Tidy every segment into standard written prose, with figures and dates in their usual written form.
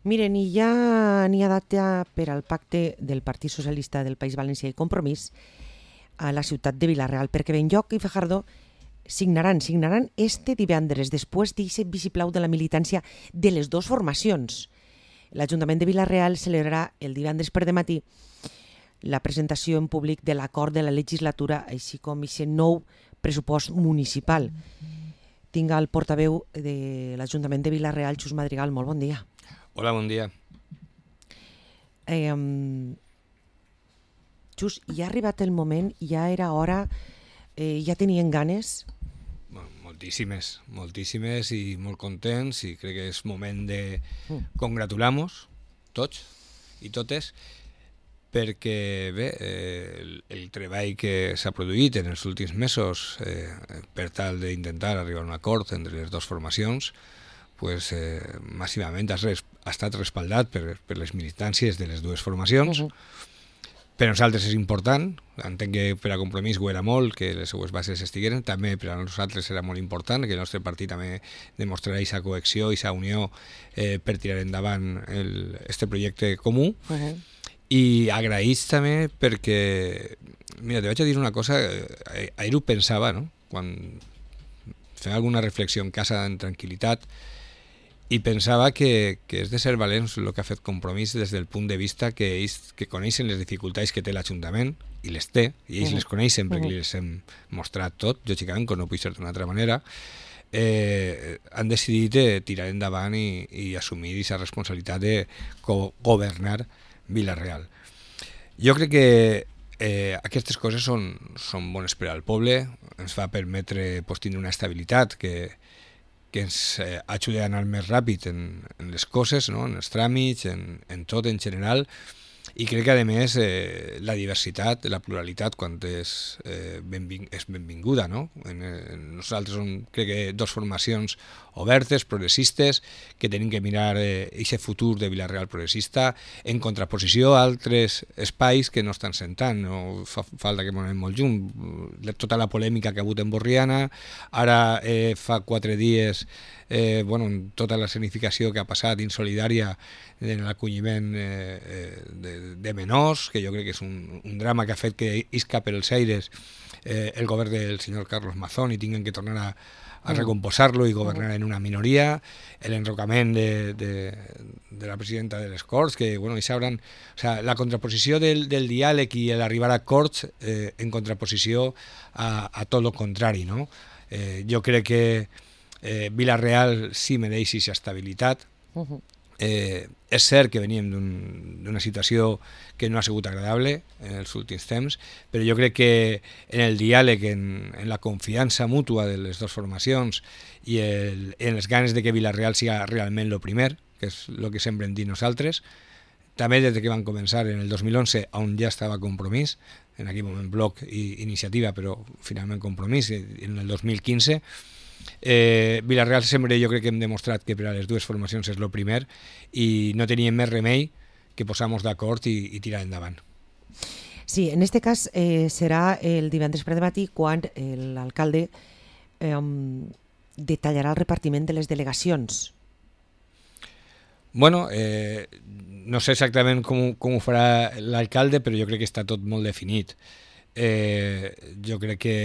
Miren, i ja n'hi ha data per al pacte del Partit Socialista del País Valencià i Compromís a la ciutat de Vila-real, perquè Benlloc i Fajardo signaran este divendres, després d'aquest vistiplau de la militància de les dues formacions. L'Ajuntament de Vila-real celebrarà el divendres per dematí la presentació en públic de l'acord de la legislatura, així com aquest nou pressupost municipal. Tinc el portaveu de l'Ajuntament de Vila-real, Xus Madrigal. Molt bon dia. Hola, bon dia. Xus, ja ha arribat el moment, ja era hora, ja tenien ganes? Moltíssimes i molt contents, i crec que és moment de congratular-nos tots i totes, perquè bé, el treball que s'ha produït en els últims mesos per tal d'intentar arribar a un acord entre les dues formacions, pues, massivament ha estat respaldat per les militàncies de les dues formacions. Per a nosaltres és important, entenc que per a Compromís ho era molt, que les seues bases estigueren, també per a nosaltres era molt important, que el nostre partit també demostrarà aquesta cohesió, aquesta unió per tirar endavant este projecte comú. I agraïts també perquè, mira, te vaig a dir una cosa, ahir ho pensava, no? Quan fem alguna reflexió en casa en tranquil·litat, i pensava que és de ser valents el que ha fet Compromís des del punt de vista que ells que coneixen les dificultats que té l'Ajuntament, i les té, i ells les coneixen perquè les hem mostrat tot, lògicament, com no puc ser d'una altra manera, han decidit tirar endavant i assumir aquesta responsabilitat de governar Vila-real. Jo crec que aquestes coses són bones per al poble, ens va permetre tindre una estabilitat que ens ajuda a anar més ràpid en les coses, no? En els tràmits, en tot en general, i crec que a més la diversitat, la pluralitat, quan és benvinguda, no? Nosaltres som, crec que, dues formacions obertes, progressistes, que tenim que mirar aquest futur de Vila-real progressista en contraposició a altres espais que no estan sentant, no fa falta que m'anem molt junt. Tota la polèmica que ha hagut en Borriana, ara fa 4 dies tota la escenificació que ha passat insolidària en l'acolliment de menors, que jo crec que és un drama que ha fet que isca per els aires el govern del senyor Carlos Mazón i tinguin que tornar a recomposar-lo i governar en una minoria, l'enrocament de la presidenta de les Corts, que la contraposició del diàleg i l'arribar a Corts en contraposició a tot el contrari, no? Jo crec que Vila-real sí mereix aquesta estabilitat. És cert que veníem d'una situació que no ha sigut agradable en els últims temps, però jo crec que en el diàleg, en la confiança mútua de les dues formacions i en les ganes de que Vila-real siga realment el primer, que és el que sempre hem dit nosaltres, també des que van començar en el 2011, on ja estava Compromís, en aquell moment Bloc i Iniciativa, però finalment Compromís, en el 2015, Vila-real sempre jo crec que hem demostrat que per a les dues formacions és el primer i no teníem més remei que posar-nos d'acord i tirar endavant. Sí, en este cas serà el divendres per dematí quan l'alcalde detallarà el repartiment de les delegacions. Bueno, no sé exactament com ho farà l'alcalde, però jo crec que està tot molt definit. Jo crec que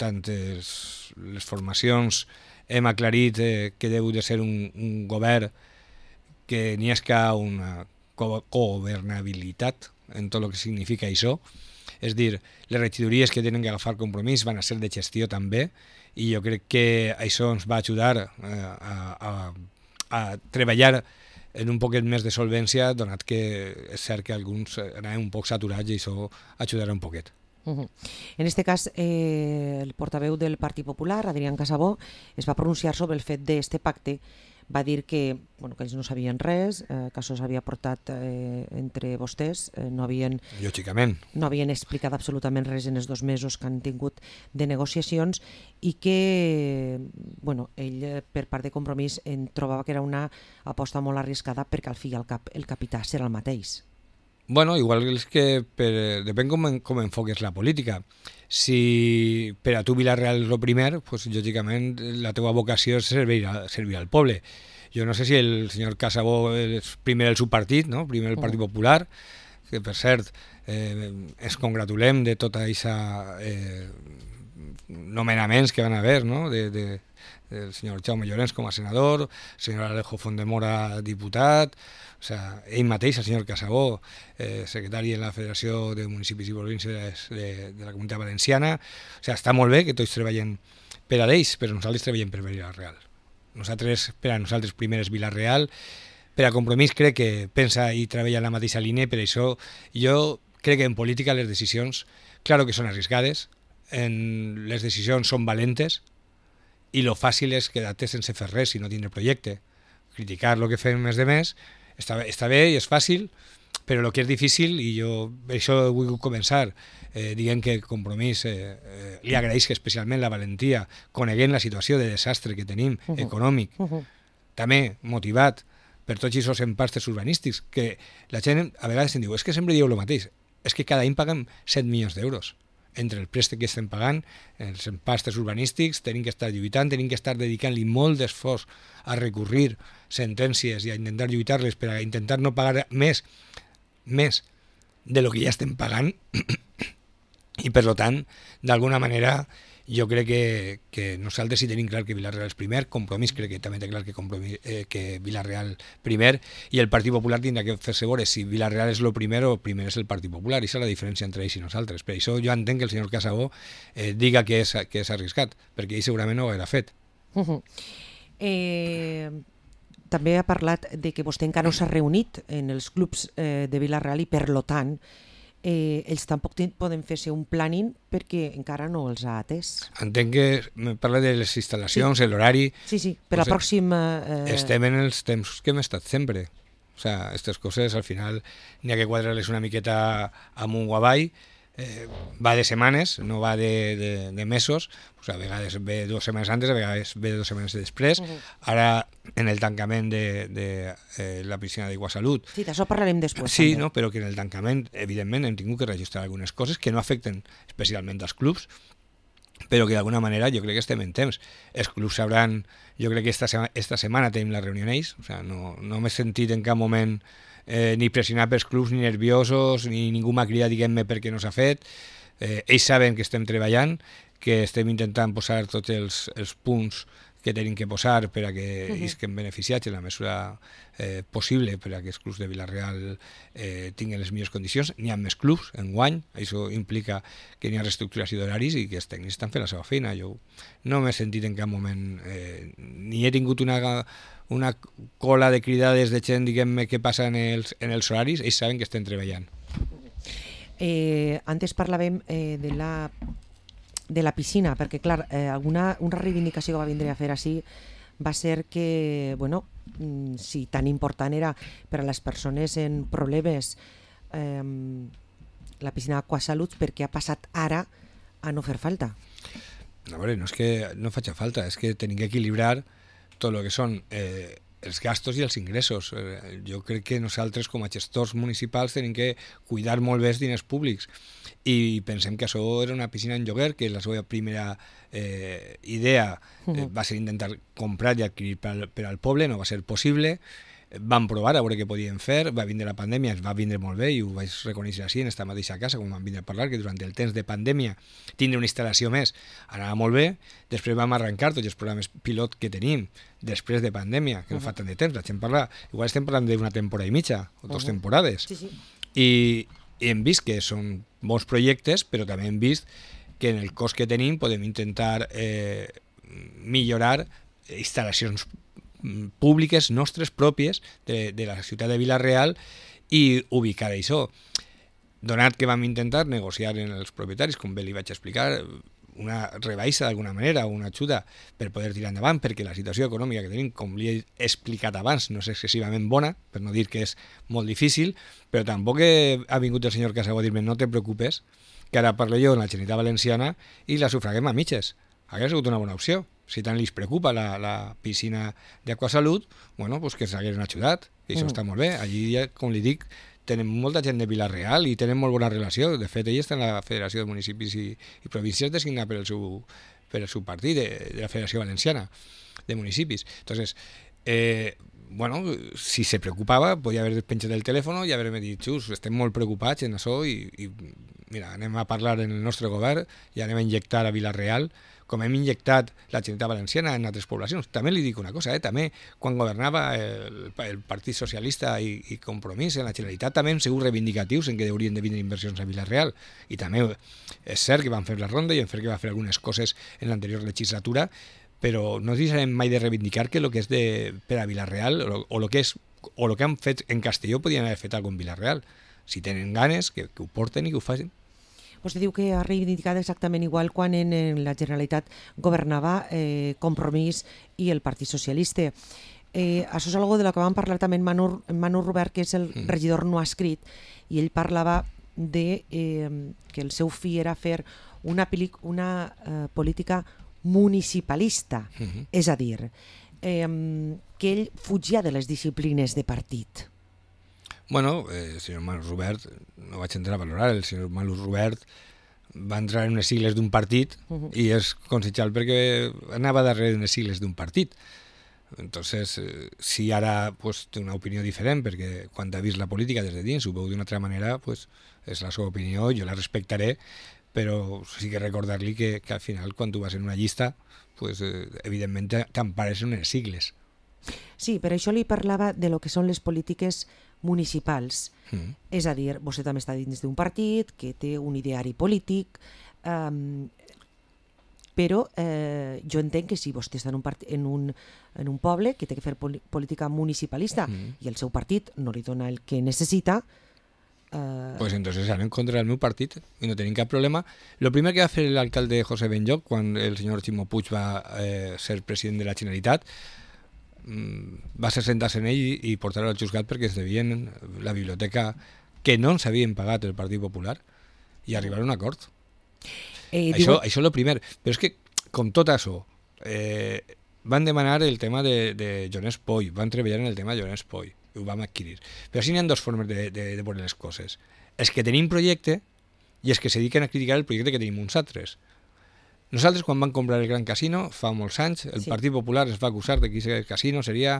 tant les formacions hem aclarit que deu de ser un govern que n'hi ha una governabilitat en tot el que significa això, és dir, les regidories que tenen que agafar Compromís van a ser de gestió també, i jo crec que això ens va ajudar a treballar en un poquet més de solvència, donat que és cert que alguns anaven un poc saturats i això ajudarà un poquet. En este cas, el portaveu del Partit Popular, Adrián Casabó, es va pronunciar sobre el fet d'este pacte. Va dir que ells no sabien res, que això s'havia portat entre vostès, no havien explicat absolutament res en els 2 mesos que han tingut de negociacions, i que ell, per part de Compromís, trobava que era una aposta molt arriscada perquè al fi i al cap el capità serà el mateix. Bueno, igual és que depèn com enfoques la política. Si per a tu Vila-real és el primer, pues, lògicament la teva vocació és servir al poble. Jo no sé si el senyor Casabó és primer el seu partit, no? Primer el Partit Popular, que per cert ens congratulem de tota aquesta nomenaments que van haver, no? del senyor Jaume Llorens com a senador, el senyor Alejo Fondemora diputat, o sea, ell mateix, el senyor Casabó, secretari en la Federació de Municipis i Províncies de la Comunitat Valenciana. O sea, està molt bé que tots treballem per a ells, però nosaltres treballem per Vila-real. Per a nosaltres primer és Vila-real, per a Compromís crec que pensa i treballa en la mateixa línia, per això jo crec que en política les decisions, claro que són arriscades, les decisions són valentes i lo fàcil és quedar-te sense fer res i no tindre projecte. Criticar el que fem més de més està bé i és fàcil, però el que és difícil, i jo per això he volgut començar dient que Compromís li agraeix especialment la valentia, coneguent la situació de desastre que tenim, econòmic, també motivat per tots aquests empastes urbanístics, que la gent a vegades em diu, és que sempre dieu el mateix, és que cada any paguem 7 milions d'euros entre el préstec que estem pagant, els empastes urbanístics, tenim que estar lluitant, tenim que estar dedicant-li molt d'esforç a recurrir sentències i a intentar lluitar-les per a intentar no pagar més de lo que ja estem pagant i per tant, d'alguna manera jo crec que nosaltres sí tenim clar que Vila-real és primer, Compromís crec que també té clar que Vila-real primer, i el Partit Popular tindrà que fer-se veure si Vila-real és el primer o primer és el Partit Popular. Aquesta és la diferència entre ells i nosaltres. Per això jo entenc que el senyor Casabó diga que és arriscat, perquè ell segurament no ho haurà fet. També ha parlat de que vostè encara no s'ha reunit en els clubs de Vila-real i per tant ells tampoc poden fer-se un planning perquè encara no els ha atès. Entenc que me parla de les instal·lacions, l'horari... Sí, per la pròxima... Estem en els temps que hem estat sempre. O sea, aquestes coses al final n'hi ha que quadrar-les una miqueta amunt o avall. Va de setmanes, no va de mesos. O sea, a vegades ve 2 setmanes antes, a vegades ve 2 setmanes després. Ara, en el tancament de la piscina d'Iguasalut... Sí, d'això parlarem després. Sí, no? Però que en el tancament, evidentment, hem tingut que registrar algunes coses que no afecten especialment als clubs, però que d'alguna manera jo crec que estem en temps. Els clubs sabran... Jo crec que esta setmana tenim la reunió en ells, o sea, no m'he sentit en cap moment ni pressionar pels clubs, ni nerviosos, ni ningú m'ha cridat, diguem-me, perquè no s'ha fet. Ells saben que estem treballant, que estem intentant posar tots els punts que tenim que posar per a que isquen beneficiats en la mesura possible per a que els clubs de Vila-real tinguin les millors condicions. N'hi ha més clubs enguany, això implica que n'hi ha reestructuració d'horaris i que els tècnics estan fent la seva feina. Jo no m'he sentit en cap moment, ni he tingut una cola de cridades de gent, diguem-me, que passa en els horaris. Ells saben que estem treballant. Antes parlàvem de la piscina, perquè clar, una reivindicació que va vindre a fer així va ser que, bueno, si tan important era per a les persones en problemes la piscina d'Aquasalut, perquè ha passat ara a no fer falta. A veure, no és que no faci falta, és que tenim que equilibrar tot el que són els gastos i els ingressos. Jo crec que nosaltres com a gestors municipals tenim que cuidar molt bé els diners públics i pensem que això era una piscina en lloguer, que la seva primera idea va ser intentar comprar i adquirir per al poble, no va ser possible. Vam provar a veure què podíem fer, va vindre la pandèmia, ens va vindre molt bé i ho vaig reconèixer així en esta mateixa casa, com vam vindre a parlar, que durant el temps de pandèmia tindre una instal·lació més anava molt bé. Després vam arrencar tots els programes pilot que tenim després de pandèmia, que no fa tant de temps, igual estem parlant d'una temporada i mitja o 2 temporades. I hem vist que són bons projectes, però també hem vist que en el cost que tenim podem intentar millorar instal·lacions públiques nostres pròpies de la ciutat de Vila-real i ubicar això. Donat que vam intentar negociar amb els propietaris, com bé li vaig explicar, una rebaixa d'alguna manera, una ajuda per poder tirar endavant, perquè la situació econòmica que tenim, com li he explicat abans, no és excessivament bona, per no dir que és molt difícil, però tampoc ha vingut el senyor Casabó a dir-me no te preocupes, que ara parlo jo en la Generalitat Valenciana i la sufraguem a mitges. Hauria sigut una bona opció. Si tant li preocupa la piscina d'Aquasalut, bueno, pues que s'haguessin ajudat, i això està molt bé. Allí, com li dic, tenen molta gent de Vila-real i tenen molt bona relació. De fet, ell està en la Federació de Municipis i Províncies designat per el seu partit, de la Federació Valenciana de Municipis. Entonces, bueno, si se preocupava, podia haver penjat el telèfon i haver-me dit, Xus, estem molt preocupats en això i mira, anem a parlar en el nostre govern i anem a injectar a Vila-real com hem injectat la Generalitat Valenciana en altres poblacions. També li dic una cosa, també quan governava el Partit Socialista i Compromís en la Generalitat també hem sigut reivindicatius en què haurien de vindre inversions a Vila-real i també és cert que van fer la ronda i hem fet que va fer algunes coses en l'anterior legislatura, però no deixarem mai de reivindicar que el que és per a Vila-real o el que han fet en Castelló podien haver fet alguna cosa en Vila-real. Si tenen ganes, que ho porten i que ho facin. Vostè diu que ha reivindicat exactament igual quan en la Generalitat governava Compromís i el Partit Socialista. Això és algo de lo que vam parlar també en Manu Robert, que és el regidor no escrit, i ell parlava de que el seu fi era fer una política municipalista, és a dir, que ell fugia de les disciplines de partit. Bueno, el senyor Manu Robert, no vaig entrar a valorar, el senyor Manu Robert va entrar en unes sigles d'un partit i és consellal perquè anava darrere d'unes sigles d'un partit. Entonces, si ara pues, té una opinió diferent, perquè quan ha vist la política des de dins ho veu d'una altra manera, pues, és la seva opinió, jo la respectaré, però sí que recordar-li que al final, quan tu vas en una llista, pues, evidentment t'empares en unes sigles. Sí, per això li parlava de lo que són les polítiques municipals. És a dir, vostè també està dins d'un partit que té un ideari polític, però jo entenc que si vostè està en un poble que té que fer política municipalista i el seu partit no li dona el que necessita, pues entonces serán en contra del meu partit i no tenim cap problema. Lo primer que va fer l'alcalde José Benlloc quan el senyor Ximo Puig va ser president de la Generalitat va ser sentar-se en ell i portar-lo al juzgat perquè es devien la biblioteca que no ens havien pagat el Partit Popular i arribar a un acord. Això és el primer. Però és que, com tot això, van demanar el tema de Joan Espoy, van treballar en el tema de Joan Espoy, ho vam adquirir. Però sí n'hi ha dues formes de veure les coses. És que tenim projecte i és que se dediquen a criticar el projecte que tenim uns altres. Nosaltres, quan vam comprar el Gran Casino, fa molts anys, el Partit Popular es va acusar de que aquest casino seria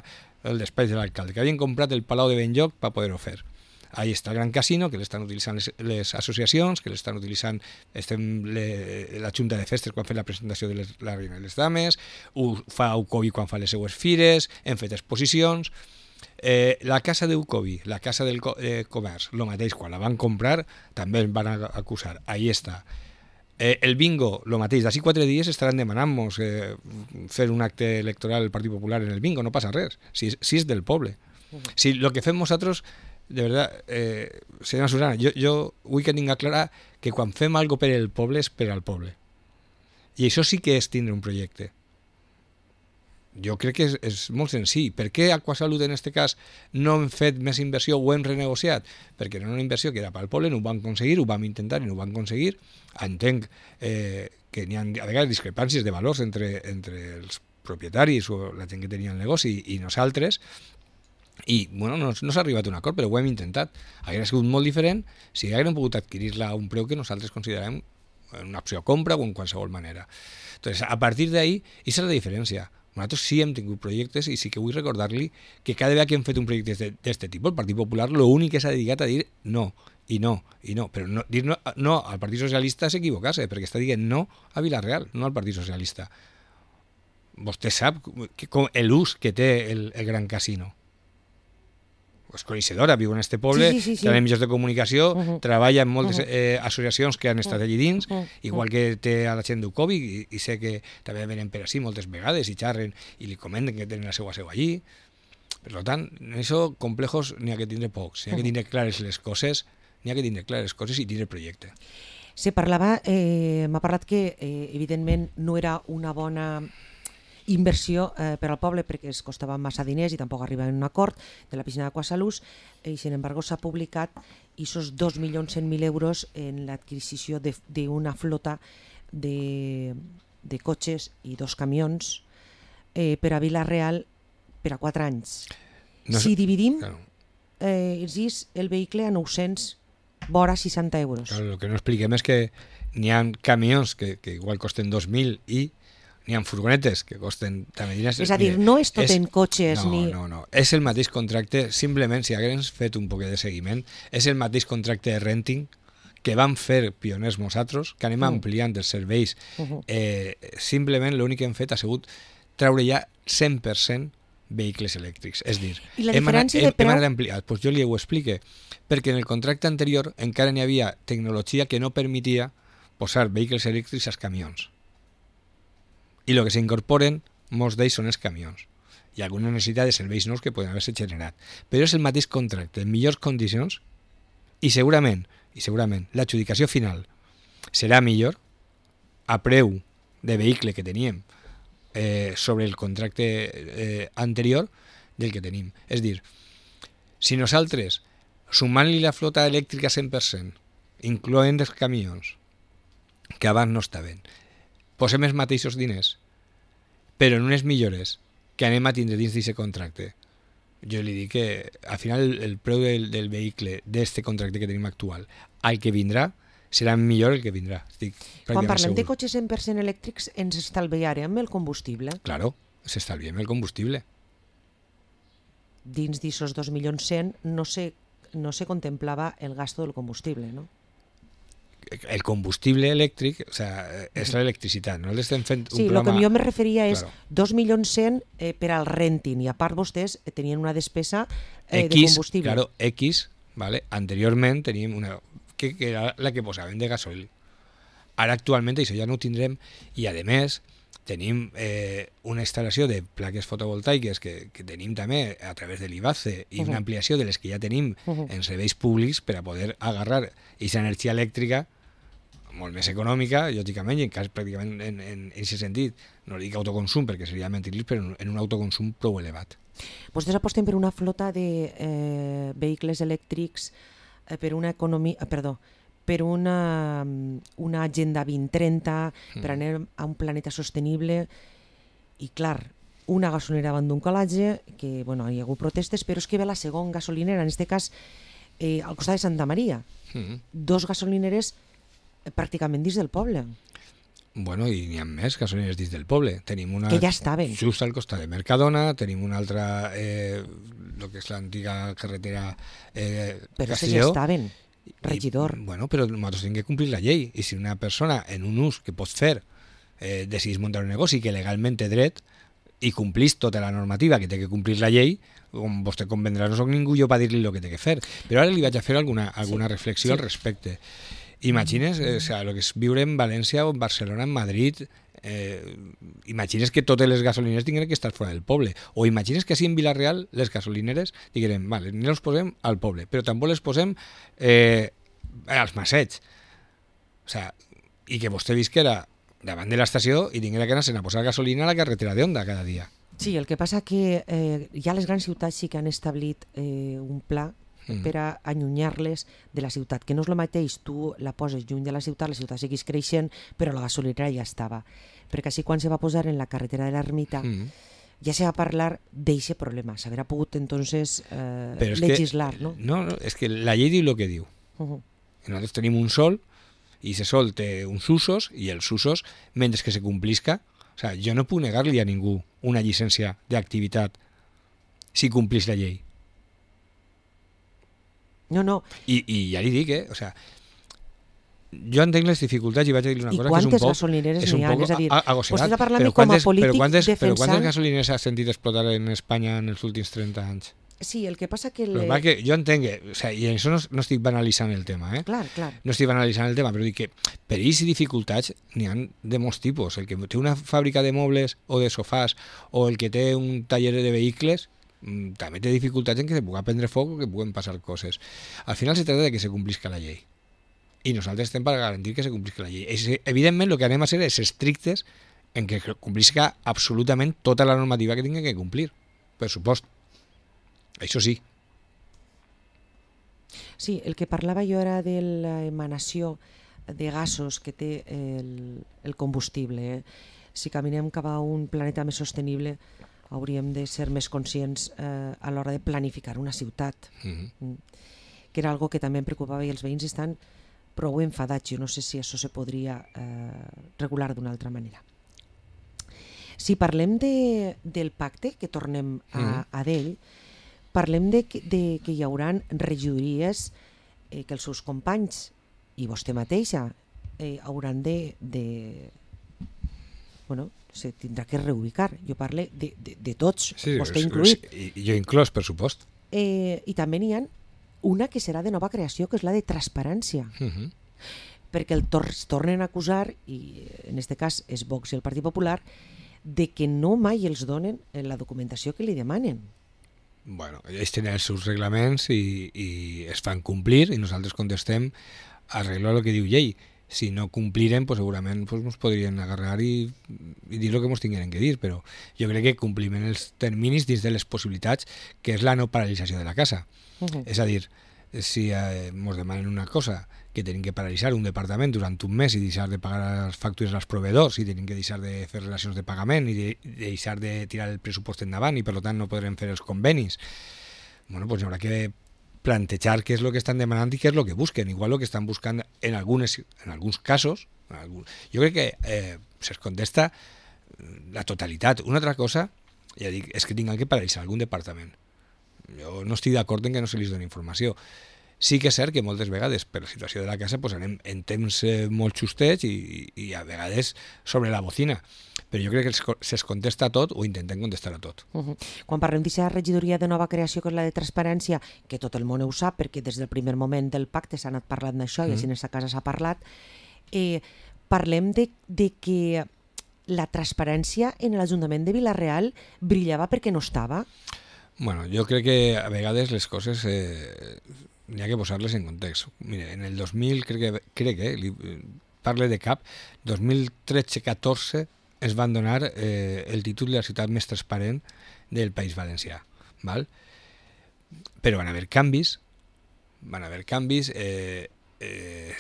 el despatx de l'alcalde, que havien comprat el Palau de Benlloc per poder-ho fer. Ahí està el Gran Casino, que l'estan utilitzant les associacions, que l'estan utilitzant la Junta de Festes quan fa la presentació de la Reina de les Dames, ho fa Ucovi quan fa les seues fires, hem fet exposicions. La casa d'Ucovi, la casa del comerç, el mateix, quan la van comprar, també el van acusar. Ahí està. El bingo, el mateix, d'ací 4 dies estaran demanant-nos fer un acte electoral del Partit Popular en el bingo, no passa res, si és del poble. Si el que fem nosaltres, de verdad, senyora Susana, jo vull que tinga clara que quan fem algo per el poble és per al poble. I això sí que és tindre un projecte. Jo crec que és molt senzill. Per què Aquasalut en aquest cas no hem fet més inversió o hem renegociat? Perquè era una inversió que era pel poble, no ho vam aconseguir, ho vam intentar i no ho vam aconseguir. Entenc que n'hi ha a vegades discrepàncies de valors entre els propietaris o la gent que tenia el negoci i nosaltres, i bueno, no s'ha arribat a un acord, però ho hem intentat. Hauria sigut molt diferent si haguem pogut adquirir-la a un preu que nosaltres considerem una opció de compra o en qualsevol manera. Entonces, a partir d'ahí, aquesta és la diferència. Nosaltres sí hem tingut projectes i sí que vull recordar-li que cada vegada que hem fet un projecte d'aquest tipus, el Partit Popular l'únic que s'ha dedicat a dir no, i no, i no. Però no, dir no al Partit Socialista és equivocar-se, perquè està dient no a Vila-real, no al Partit Socialista. Vostè sap l'ús que té el Gran Casino. És coneixedora, viu en este poble, sí. té mitjans de comunicació, treballa en moltes associacions que han estat allí dins, igual que té a la gent d'Ucovi, i sé que també venen per així moltes vegades i xarren i li comenten que tenen la seva seu allí. Per tant, en això complejos n'hi ha que tindre pocs, n'hi ha que tindre clares les coses, i tindre projecte. M'ha parlat que evidentment no era una bona inversió per al poble perquè es costava massa diners i tampoc arribava a un acord de la piscina d'Aquasalut i sin embargo s'ha publicat esos 2.100.000 euros en l'adquisició d'una flota de cotxes i 2 camions per a Vila-real per a 4 anys. Si dividim el vehicle a 900 vora 60 euros. Claro, el que no expliquem és que n'hi ha camions que igual costen 2.000 i n'hi ha furgonetes que costen també diners. És a dir, no és tot en cotxes no, ni... No. És el mateix contracte, simplement, si hagués fet un poquet de seguiment, és el mateix contracte de renting que vam fer pioners nosaltres, que anem ampliant els serveis. Simplement l'únic que hem fet ha sigut treure ja 100% vehicles elèctrics. És dir, I la diferència de preu... hem anat ampliant. Pues jo li ho explique, perquè en el contracte anterior encara n'hi havia tecnologia que no permetia posar vehicles elèctrics als camions. I el que s'incorporen, molts d'ells són els camions. Hi ha alguna necessitat de serveis nous que poden haver-se generat. Però és el mateix contracte, en millors condicions, i segurament l'adjudicació final serà millor a preu de vehicle que teníem sobre el contracte anterior del que tenim. És dir, si nosaltres, sumant-li la flota elèctrica 100%, incloent els camions, que abans no estaven, posem els mateixos diners, però en unes millores que anem a tindre dins d'aquest contracte, jo li dic que al final el preu del vehicle d'aquest contracte que tenim actual al que vindrà serà millor el que vindrà. Quan parlem de cotxes 100% elèctrics ens estalviarem el combustible? Claro, s'estalviem el combustible. Dins d'aquests 2.100.000 no se contemplava el gasto del combustible, no? El combustible elèctric, o sea, és l'electricitat, no l'estem fent un sí, programa... el que jo me referia és 2.100.000 per al renting, i a part vostès tenien una despesa de combustible. Claro, X, ¿vale? Anteriorment teníem una... que era la que posaven de gasoil. Ara actualment això ja no ho tindrem, i a més tenim una instal·lació de plaques fotovoltaiques que tenim també a través de l'IBACE i una ampliació de les que ja tenim en serveis públics per a poder agarrar aquesta energia elèctrica molt més econòmica, lògicament, i en cas pràcticament en aquest sentit, no dic autoconsum perquè seria mentir-los, però en un autoconsum prou elevat. Vostès aposten per una flota de vehicles elèctrics per una economia... Perdó, per una agenda 2030, per anar a un planeta sostenible, i clar, una gasolinera davant d'un colatge, que bueno, hi ha hagut protestes, però és que ve la segona gasolinera, en aquest cas al costat de Santa Maria. 2 gasolineres pràcticament dins del poble. Bueno, i n'hi ha més gasolineres dins del poble. Tenim una que ja estaven. Just al costat de Mercadona, tenim una altra, el que és l'antiga carretera però Castelló. Ja estaven. Regidor. Bueno, però nosaltres hem de complir la llei, i si una persona en un ús que pots fer decidís muntar un negoci que legalment té dret i complís tota la normativa que té que complir la llei, com vostè convendrà, no soc ningú jo per dir-li el que té que fer, però ara li vaig a fer alguna reflexió al respecte. Imagines el que és viure en València o en Barcelona, en Madrid, imagines que totes les gasolineres tinguin que estar fora del poble, o imagines que així en Vila-real les gasolineres diguem, vale, no les posem al poble, però tampoc les posem als massets, o sea, i que vostè visquera davant de l'estació i tinguera que anar a posar gasolina a la carretera d'Onda cada dia. Sí, el que passa que ja les grans ciutats sí que han establit un pla per a allunyar-les de la ciutat, que no és el mateix, tu la poses lluny de la ciutat seguís creixent, però la gasolinera ja estava. Perquè així quan se va posar en la carretera de l'Ermita ja se va parlar d'aquest problema, s'haurà pogut entonces legislar, no? No, és que la llei diu el que diu. Nosaltres tenim un sol, i aquest sol té uns usos, i els usos, mentre que se complisca, o sea, jo no puc negar-li a ningú una llicència d'activitat si complís la llei. No. I ja li dic, o sea, jo entenc les dificultats i vaig a dir una cosa que és un poc... I quantes gasolineres n'hi ha? És a dir, vostè està parlant com a polític defensant... Però quantes gasolineres has sentit explotar en Espanya en els últims 30 anys? Sí, el que passa que... que jo entenc que... O sea, i en això no estic banalitzant el tema, Clar. No estic banalitzant el tema, però dic que perills i dificultats n'hi ha de molts tipus. El que té una fàbrica de mobles o de sofàs, o el que té un taller de vehicles, també té dificultats en que se pugui prendre foc o que puguen passar coses. Al final se trata de que se complisca la llei. I nosaltres estem per garantir que se complisca la llei. Evidentment, el que anem a ser és estrictes en que complisca absolutament tota la normativa que tingui que complir. Per supost. Això sí. Sí, el que parlava jo era de l'emanació de gasos que té el combustible. Si caminem cap a un planeta més sostenible, hauríem de ser més conscients a l'hora de planificar una ciutat, que era algo que també em preocupava, i els veïns estan prou enfadats. Jo no sé si això se podria regular d'una altra manera. Si parlem del pacte, que tornem a d'ell, parlem de que hi haurà regidories que els seus companys i vostè mateixa hauran bueno, se tindrà que reubicar. Jo parlo de tots, sí, vostè incluït. I jo inclòs, per supost. I també n'hi ha una que serà de nova creació, que és la de transparència. Perquè els tornen a acusar, i en aquest cas és Vox i el Partit Popular, de que no mai els donen la documentació que li demanen. Bueno, ells tenen els seus reglaments i es fan complir i nosaltres contestem arreglar el que diu llei. Si no complirem, pues segurament pues, ens podrien agarrar i dir el que ens tingueren que dir, però jo crec que compliment els terminis dins de les possibilitats, que és la no paralització de la casa. És a dir, si ens demanen una cosa, que tenim que paralitzar un departament durant un mes i deixar de pagar les factures als proveïdors i tenim que deixar de fer relacions de pagament i deixar de tirar el pressupost endavant i per tant no podrem fer els convenis, bueno, pues haurà que plantejar què és el que estan demanant i què és el que busquen. Igual el que estan buscant en alguns casos, jo crec que se'ls contesta la totalitat. Una altra cosa, ja dic, és que tinguin que paralitzar algun departament. Jo no estic d'acord en que no se li doni informació. Sí que és cert que moltes vegades per la situació de la casa pues, anem en temps molt justets i a vegades sobre la bocina, però jo crec que se'ls contesta a tot o intentem contestar a tot. Quan parlem d'aquesta regidoria de nova creació, que és la de transparència, que tot el món ho sap perquè des del primer moment del pacte s'ha anat parlant d'això i així en aquesta casa s'ha parlat, parlem de que la transparència en l'Ajuntament de Vila-real brillava perquè no estava. Bueno, jo crec que a vegades les coses n'hi ha que posar-les en context. Mira, en el 2000, crec que parle de cap, 2013-14 es van donar el títol de la ciutat més transparent del País Valencià. Val? Però van haver canvis,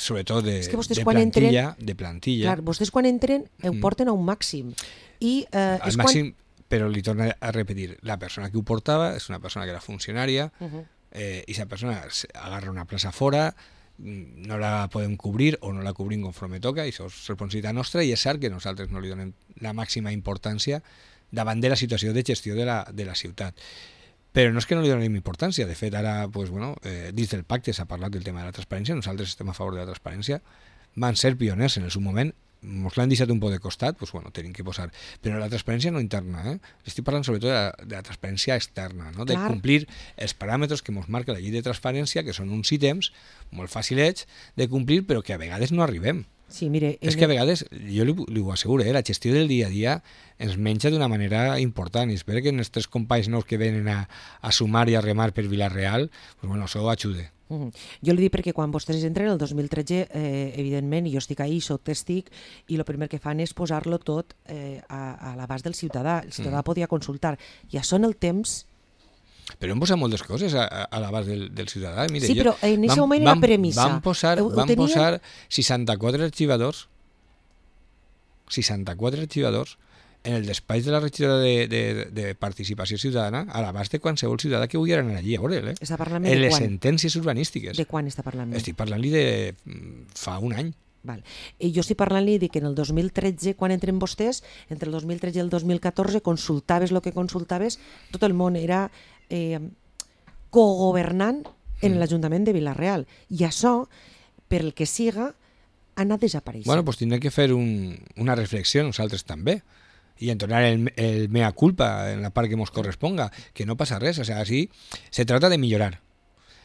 sobretot de plantilla. Clar, vostès quan entren ho porten a un màxim. Al màxim, però li torno a repetir, la persona que ho portava és una persona que era funcionària, i aquesta persona agarra una plaça fora, no la podem cobrir o no la cobrim conforme toca, i això és responsabilitat nostra, i és cert que nosaltres no li donem la màxima importància davant de la situació de gestió de la ciutat. Però no és que no li donem importància. De fet, ara, pues, bueno, dins del pacte s'ha parlat del tema de la transparència, nosaltres estem a favor de la transparència, van ser pioners en el seu moment, ens l'han deixat un poc de costat, doncs, bueno, tenim que posar. Però la transparència no interna, estic parlant sobretot de la transparència externa, no? De complir els paràmetres que ens marca la llei de transparència, que són uns ítems molt fàcilets de complir, però que a vegades no arribem. Sí, mire, és que a vegades, jo li ho asseguro, la gestió del dia a dia ens menja d'una manera important, i espero que els tres companys nous que venen a sumar i a remar per Vila-real, pues, bueno, això ho ajude. Jo li dic perquè quan vostès entren el 2013, evidentment, i jo estic ahí, soc tèstic, i el primer que fan és posar-lo tot a l'abast del ciutadà. El ciutadà podia consultar. I això en el temps... Però hem posat moltes coses a l'abast del ciutadà. Mira, sí, però en aquest moment era premissa. Vam posar 64 arxivadors, 64 arxivadors en el despatx de la regidora de participació ciutadana a l'abast de qualsevol ciutadà que vulgui anar allí a veure'l. En les sentències urbanístiques. De quan està parlant? Estic parlant-li de fa un any. Val. I jo estic parlant-li que en el 2013, quan entren vostès, entre el 2013 i el 2014, consultaves el que consultaves, tot el món era cogovernant en l'Ajuntament de Vila-real. I això, per el que siga, ha anat desapareixent. Bueno, doncs tindrem que fer una reflexió nosaltres també i entonar el mea culpa en la part que ens corresponga, que no passa res. O sigui, així se trata de millorar.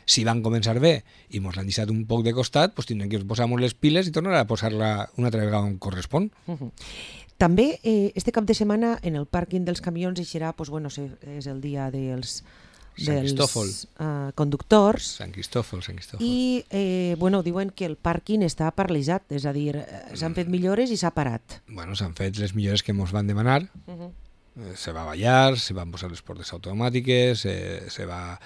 Si van començar bé i ens l'han deixat un poc de costat, doncs tindrem que posar-nos les piles i tornar a posar-la una altra vegada on correspon. També este cap de setmana en el pàrquing dels camions eixirà, doncs, bueno, és el dia dels conductors. Sant Cristòfol. I bueno, diuen que el pàrquing està paralitzat, és a dir, s'han fet millores i s'ha parat. Bueno, s'han fet les millores que ens van demanar. Se va ballar, se van posar les portes automàtiques, se va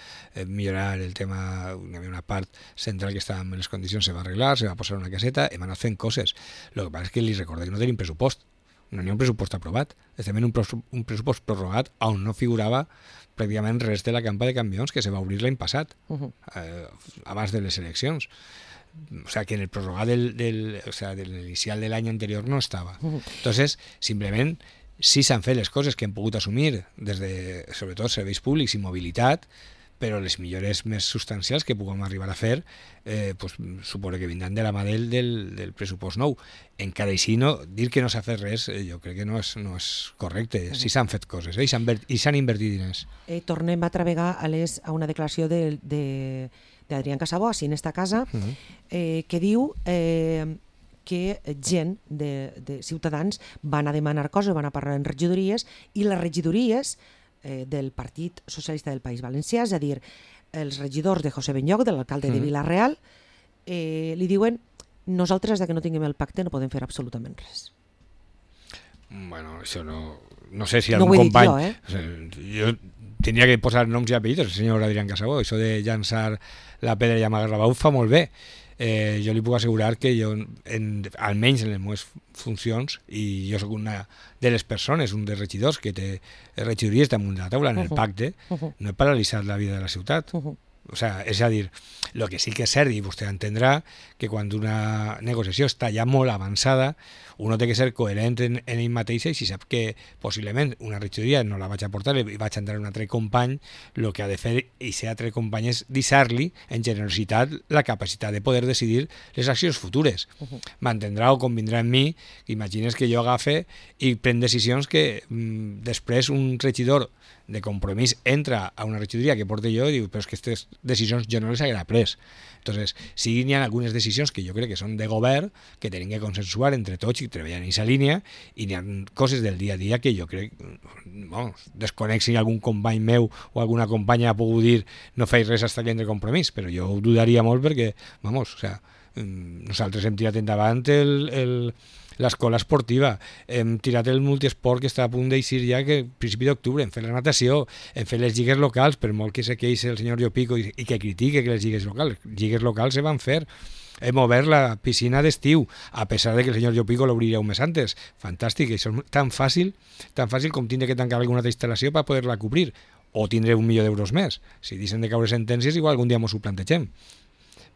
millorar el tema, hi havia una part central que estava en les condicions, se va arreglar, se va posar una caseta, hem anat fent coses. El que passa és que li recordo que no tenim pressupost, no hi ha un pressupost aprovat, estem en un pressupost prorrogat on no figurava pràcticament res de la campa de camions que se va obrir l'any passat, abans de les eleccions. O sea, que en el prorrogat de l'inicial de l'any anterior no estava. Entonces, simplement sí s'han fet les coses que hem pogut assumir des de, sobretot, serveis públics i mobilitat, però les millores més substancials que puguem arribar a fer pues, suposo que vindran de la mà del pressupost nou. Encara així, dir que no s'ha fet res jo crec que no és correcte. Sí s'han fet coses i s'han invertit diners. Tornem altra vegada a una declaració d'Adrián Casabó, així en esta casa, que diu que gent de ciutadans van a demanar coses, van a parlar en regidories, i les regidories del Partit Socialista del País Valencià, és a dir, els regidors de José Benlloch, de l'alcalde de Vila-real, li diuen: nosaltres, que no tinguem el pacte, no podem fer absolutament res. Bueno, això no sé si algun company... Jo tindria que posar noms i apellidos, el senyor Adrián Casabó, això de llançar la pedra i amagar la bau fa molt bé. Jo li puc assegurar que jo, almenys en les meves funcions, i jo sóc una de les persones, un dels regidors que té regidories damunt de la taula en el pacte, no he paralitzat la vida de la ciutat. O sea, és a dir, el que sí que és cert, i vostè entendrà, que quan una negociació està ja molt avançada, uno té que ser coherent en ell mateix, i si sap que possiblement una regidoria no la vaig a portar i vaig a entrar un altre company, el que ha de fer i ser altre company és deixar-li en generositat la capacitat de poder decidir les accions futures. M'entendrà o convindrà en mi, imagines que jo agafe i pren decisions que després un regidor de Compromís entra a una regidoria que porte jo i diu, però és que aquestes decisions jo no les haguera pres. Entonces, sí n'hi ha algunes decisions que jo crec que són de govern, que tenim que consensuar entre tots i treballar en aquesta línia, i n'hi ha coses del dia a dia que jo crec, desconec si algun company meu o alguna companya ha pogut dir no feis res hasta que entre Compromís, però jo ho dudaria molt perquè, nosaltres hem tirat endavant l'escola esportiva, hem tirat el multiesport que està a punt d'eixir ja que a principi d'octubre, hem fet la natació, hem fet les lligues locals, per molt que se queixi el senyor Llopico i que critique que les lligues locals se van fer. Hem obert la piscina d'estiu, a pesar de que el senyor Llopico l'obriria un mes antes. Fantàstic, això és tan fàcil com tindre que tancar alguna altra instal·lació per poder-la cobrir, o tindre $1.000.000 més. Si deixen de caure sentències, igual algun dia ens ho plantegem.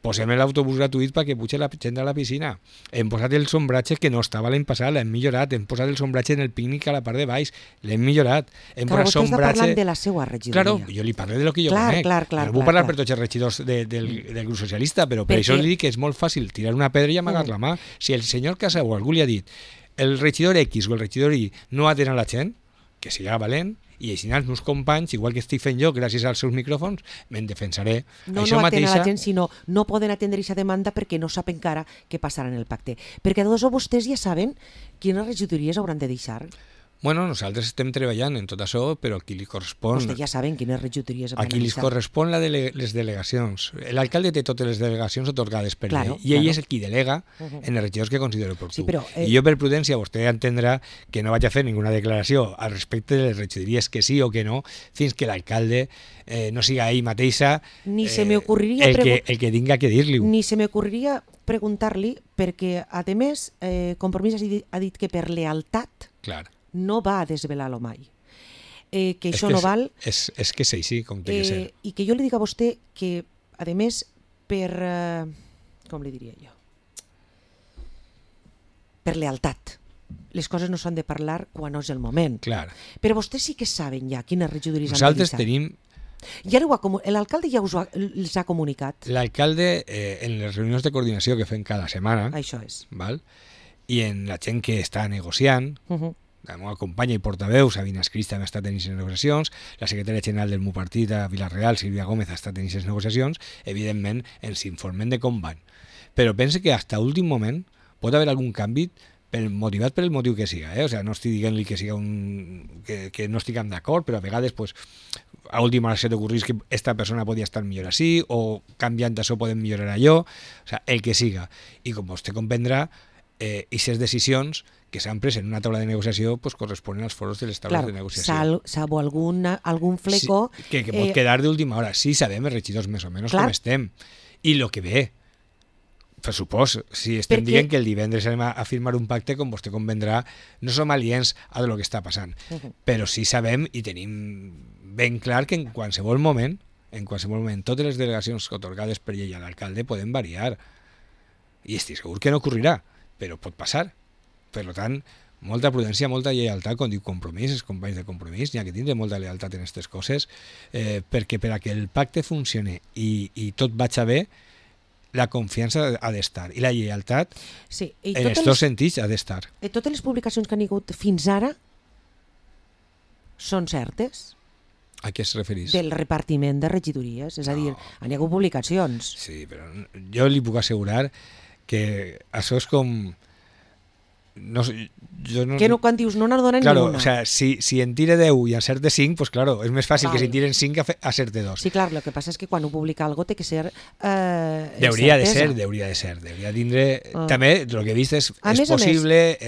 Posem l'autobús gratuït perquè puja la gent a la piscina. Hem posat el sombratge que no estava l'any passat, l'hem millorat. Hem posat el sombratge en el pícnic a la part de baix, l'hem millorat. Clar, vostè està parlant de la seva regidoria. Claro, jo li parlo de lo que jo conec. No vull parlar per tots els regidors del grup socialista, però per això li dic que és molt fàcil tirar una pedra i amagar la mà. Si el senyor Casabó o algú li ha dit el regidor X o el regidor Y no atén a la gent, que siga valent, i així els meus companys, igual que estic fent jo gràcies als seus micròfons, me'n defensaré. No atenen a la gent, sinó no poden atendre aquesta demanda perquè no sap encara què passarà en el pacte. Perquè tots vostès ja saben quines regidories hauran de deixar. Bueno, nosaltres estem treballant en tot això, però aquí li correspon... Vostè ja saben quines regidories hauran de deixar. Aquí li correspon les delegacions. L'alcalde té totes les delegacions atorgades per llei, i ell és el qui delega en els regidors que considera oportú. I jo, per prudència, vostè entendrà que no vaig a fer ninguna declaració al respecte de les regidories que sí o que no, fins que l'alcalde no siga ell mateixa el que tinga que dir-li. Ni se m'ocorriria preguntar-li, perquè, a més, Compromís ha dit que per lealtat no va a desvelar-lo mai. Que això no val... És que és així, com té que ser. I que jo li dic a vostè que, a més, per... com li diria jo? Per lealtat. Les coses no s'han de parlar quan no és el moment. Clar. Però vostès sí que saben ja quines regidories han de deixar. Nosaltres tenim... L'alcalde ja els ha comunicat. L'alcalde, en les reunions de coordinació que fem cada setmana, això és. Val? I en la gent que està negociant, la meva companya i portaveu, Sabina Escris, també ha estat en aquestes negociacions, la secretària general del meu partit a Vila-real, Sílvia Gómez, ha estat en aquestes negociacions, evidentment ens informen de com van. Però pense que fins a l'últim moment pot haver algun canvi motivat per el motiu que siga. O sea, no estic dient-li que siga que no estiguem d'acord, però a vegades pues, a última hora se t'ocorrís que esta persona podia estar millor així, o canviant això podem millorar allò, o sea, el que siga. I com vostè comprendrà, aquestes decisions que s'han pres en una taula de negociació pues, corresponen als foros de les taules de negociació. Salvo algun fleco... Sí, que pot quedar d'última hora. Sí, sabem els regidors més o menys com estem. I el que ve, per supòs, si estem dient que el divendres anem a firmar un pacte, com vostè convendrà, no som aliens a lo que està passant. Però sí sabem i tenim ben clar que en qualsevol moment, totes les delegacions atorgades per llei a l'alcalde poden variar. I estic segur que no ocorrirà, però pot passar. Per tant, molta prudència, molta lleialtat, com diu Compromís, els companys de Compromís, n'hi ha que tindre molta lleialtat en aquestes coses, perquè per a que el pacte funcione i tot vagi bé, la confiança ha d'estar i la lleialtat en els dos sentits ha d'estar. Totes les publicacions que han hagut fins ara són certes? A què es referís? Del repartiment de regidories, és a dir, han hagut publicacions. Sí, però jo li puc assegurar que això és com... No, que no, quan dius no n'adonen claro, ni una. O sea, si en tire 10 i acerte 5, pues claro, és més fàcil que si tiren 5 acerte 2. Sí, clar, el que passa és que quan ho publica algo té que ser Deuria de ser. Deuria tindre... També, el que he vist és possible,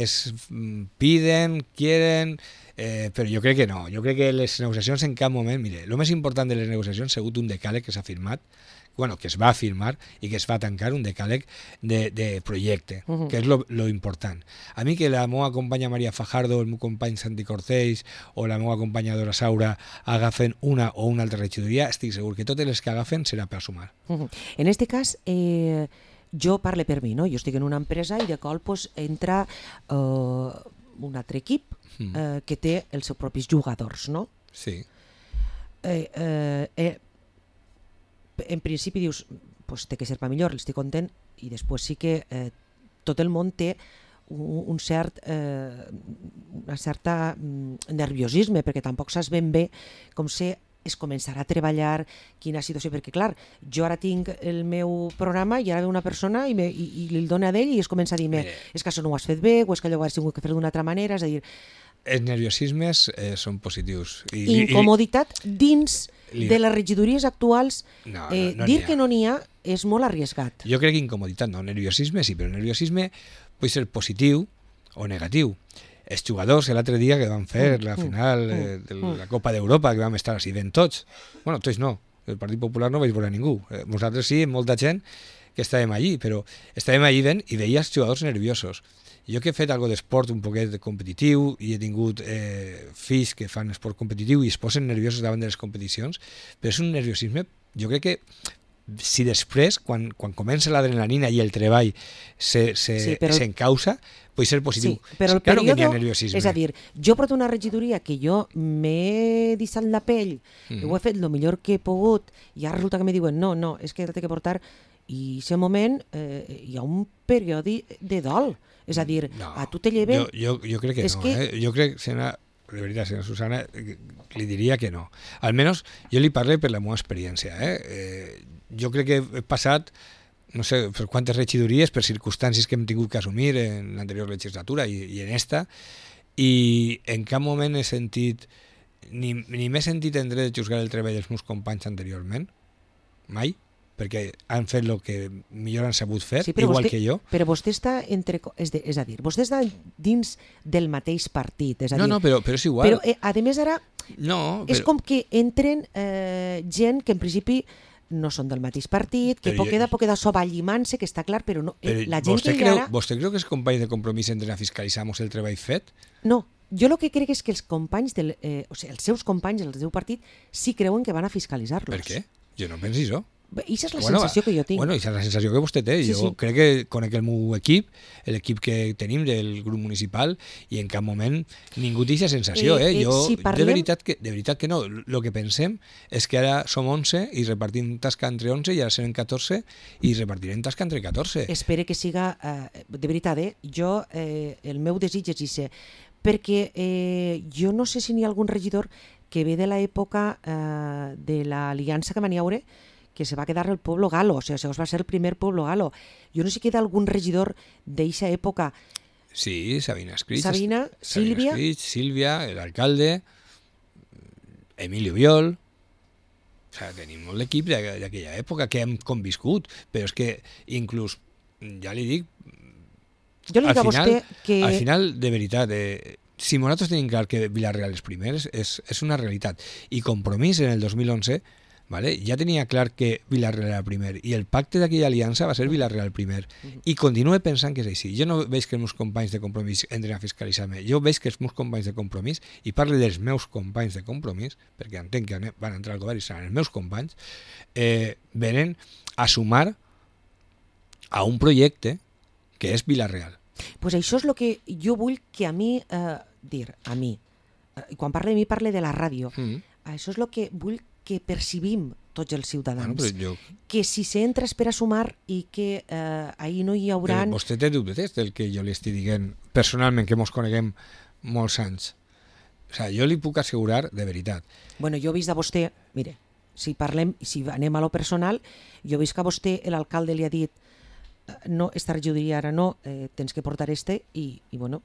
piden, quieren... però jo crec que no. Jo crec que les negociacions en cap moment... Mire, el més important de les negociacions ha sigut un decàleg que s'ha firmat, que es va firmar i que es va tancar, un decàleg de projecte, que és lo important. A mi que la meva companya Maria Fajardo, el meu company Santi Corcells o la meva companya Dora Saura agafen una o una altra regidoria, estic segur que totes les que agafen serà per sumar. En este cas, jo parlo per mi, no? Jo estic en una empresa i de cop pues, entra un altre equip que té els seus propis jugadors, no? Sí. En principi dius, pues, té que ser per millor, estic content, i després sí que tot el món té una certa nerviosisme, perquè tampoc saps ben bé com es començarà a treballar, quina situació, perquè clar, jo ara tinc el meu programa i ara ve una persona i li dona d'ell i es comença a dir és que això no ho has fet bé, o és que allò ho has tingut que fer d'una altra manera, és a dir... Els nerviosismes són positius. Incomoditat dins de les regidories actuals, dir que no n'hi ha és molt arriesgat. Jo crec que incomoditat no, nerviosisme sí, però nerviosisme pot ser positiu o negatiu. Els jugadors l'altre dia que van fer la final de la Copa d'Europa, que vam estar així ben tots, bueno, tots no, el Partit Popular no vaig veure ningú, nosaltres sí, molta gent que estàvem allí, però estàvem allí ben i veia els jugadors nerviosos. Jo que he fet algo d'esport un poquet competitiu i he tingut fills que fan esport competitiu i es posen nerviosos davant de les competicions, però és un nerviosisme, jo crec que si després, quan comença l'adrenalina i el treball s'encausa, pot ser positiu. Sí, però el període, és a dir, jo porto una regidoria que jo m'he deixat la pell, ho he fet el millor que he pogut, i ara resulta que me diuen, no, és que t'he que portar, i en aquest moment hi ha un període de dol. És a dir, a tu te lleven... Jo crec que no. Jo crec, de veritat, senyora Susana, li diria que no. Almenys jo li parlo per la meva experiència. Jo crec que he passat, no sé per quantes regidories, per circumstàncies que hem tingut que assumir en l'anterior legislatura i en esta, i en cap moment he sentit, ni m'he sentit en dret de juzgar el treball dels meus companys anteriorment, mai, perquè han fet el que millor han sabut fer, igual que jo. Però vostè està és a dir, vostè està dins del mateix partit, és a dir... No, però és igual. Però, a més, ara, és com que entren gent que en principi no són del mateix partit, que pot quedar soballimant-se, que està clar, però no, la gent que hi ara... ¿Vostè creu que els companys de Compromís entren a fiscalitzar-nos el treball fet? No, jo el que crec és que els companys, els seus companys del seu partit, sí creuen que van a fiscalitzar-los. Per què? Jo no penso això. Aquesta és la sensació que jo tinc. Bueno, aquesta és la sensació que vostè té. Jo crec que conec el meu equip, l'equip que tenim del grup municipal, i en cap moment ningú té aquesta sensació. De veritat que no. El que pensem és que ara som 11 i repartim tasca entre 11 i ara serem 14 i repartirem tasca entre 14. Espero que siga, de veritat, jo el meu desig és això, perquè jo no sé si n'hi ha algun regidor que ve de l'època de l'aliança que van hi haure, que se va quedar el Pueblo Galo, o sigui, va ser el primer Pueblo Galo. Jo no sé si queda algun regidor d'eixa època. Sí, Sabina Escrits. Sílvia, l'alcalde, Emilio Viol. O sigui, tenim molt l'equip d'aquella època que hem conviscut, però és que inclús, ja li dic, jo li dic a vostè que... Al final, de veritat, si nosaltres tenim clar que Vila-real és primer, és una realitat. I Compromís en el 2011... Vale? Ja tenia clar que Vila-real era primer i el pacte d'aquella aliança va ser Vila-real primer i continuo pensant que és així. Jo no veig que els meus companys de Compromís entren a fiscalitzar-me, jo veig que els meus companys de Compromís, i parlo dels meus companys de Compromís, perquè entenc que van entrar al govern i seran els meus companys, venen a sumar a un projecte que és Vila-real. Pues això és el que jo vull que a mi, quan parle de mi parle de la ràdio, això és el que vull que percibim tots els ciutadans. Que si s'entres per a sumar i que ahir no hi haurà... Però vostè té dubtes del que jo li estic dient personalment, que mos coneguem molts anys. O sigui, jo li puc assegurar de veritat. Bueno, jo he vist a vostè, mire, si anem a lo personal, jo he vist que a vostè l'alcalde li ha dit no, esta regidoria ara no, tens que portar i bueno,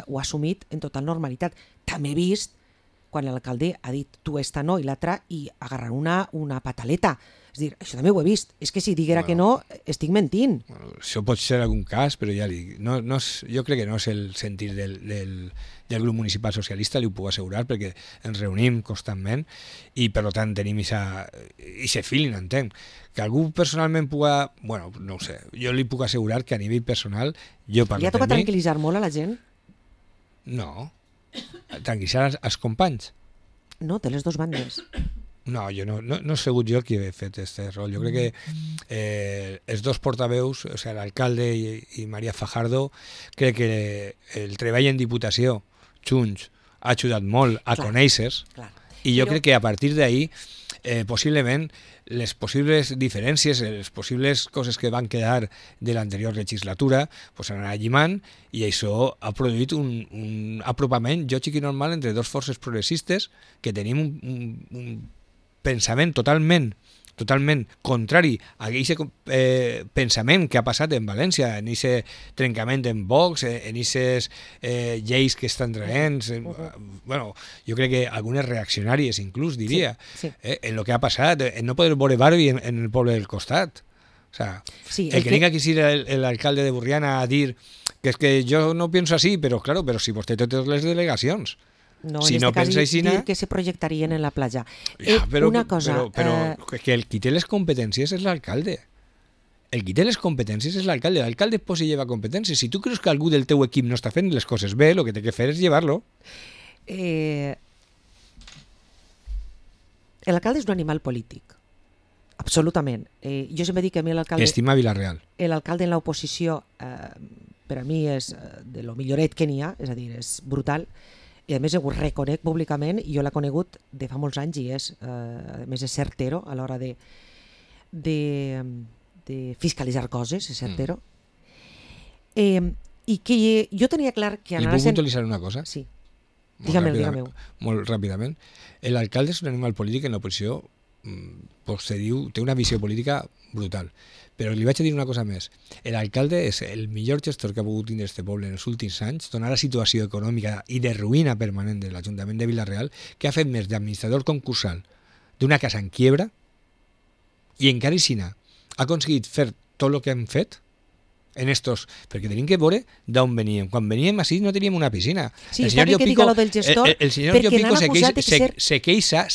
ho ha assumit en total normalitat. També he vist quan l'alcalde ha dit tu esta no i l'altra i agarrar una pataleta. És dir, això també ho he vist. És que si diguera que no, estic mentint. Bueno, això pot ser algun cas, però ja li dic, jo crec que no és el sentir del grup municipal socialista, li ho puc assegurar, perquè ens reunim constantment i per tant tenim aquest feeling, entenc. Que algú personalment puga... Bueno, no ho sé. Jo li puc assegurar que a nivell personal jo parlo per mi... Li ha tocat tranquil·litzar molt a la gent? No. Tranquil·litzar els companys. No, té les dues bandes. No, jo no he sigut jo qui he fet aquest rol. Jo crec que els dos portaveus, o sigui, l'alcalde i Maria Fajardo, crec que el treball en Diputació junts ha ajudat molt a conèixer-se i jo crec que a partir d'ahir possiblement les possibles diferències, les possibles coses que van quedar de l'anterior legislatura pues s'han anat llimant i això ha produït un apropament lògic i normal entre dos forces progressistes que tenim un pensament totalment contrari a aquest pensament que ha passat en València, en aquest trencament en Vox, en aquestes lleis que estan traient, bueno, jo crec que algunes reaccionàries inclús, diria, en el que ha passat, en no poder veure Barbie en el poble del costat. O sea, el que venga aquí l'alcalde de Burriana a dir que és que jo no penso així, però claro, però si vostè té totes les delegacions. No, si en no pensa així, dir que se projectarien en la platja. Una cosa... Però que el qui té les competències és l'alcalde. El qui té les competències és l'alcalde. L'alcalde pues si lleva competències. Si tu creus que algú del teu equip no està fent les coses bé, el que té que fer és llevar-lo. L'alcalde és un animal polític. Absolutament. Jo sempre dic que a mi l'alcalde... Estima Vilareal. L'alcalde en l'oposició per a mi és de lo milloret que n'hi ha, és a dir, és brutal. I a més ho reconec públicament, i jo l'he conegut de fa molts anys i a més és certero a l'hora de fiscalitzar coses, és certero. I que jo tenia clar que... Li puc puntualitzar una cosa? Sí. Dígame-ho. Molt ràpidament. L'alcalde és un animal polític en l'oposició, se diu, té una visió política brutal. Però li vaig a dir una cosa més. L'alcalde és el millor gestor que ha pogut tindre este poble en els últims anys, donar la situació econòmica i de ruïna permanent de l'Ajuntament de Vila-real, que ha fet més d'administrador concursal d'una casa en quiebra i encara així ha aconseguit fer tot el que hem fet en estos... Perquè tenim que veure d'on veníem. Quan veníem així no teníem una piscina. Sí, està bé que diga lo del gestor, el senyor Llopico se queixa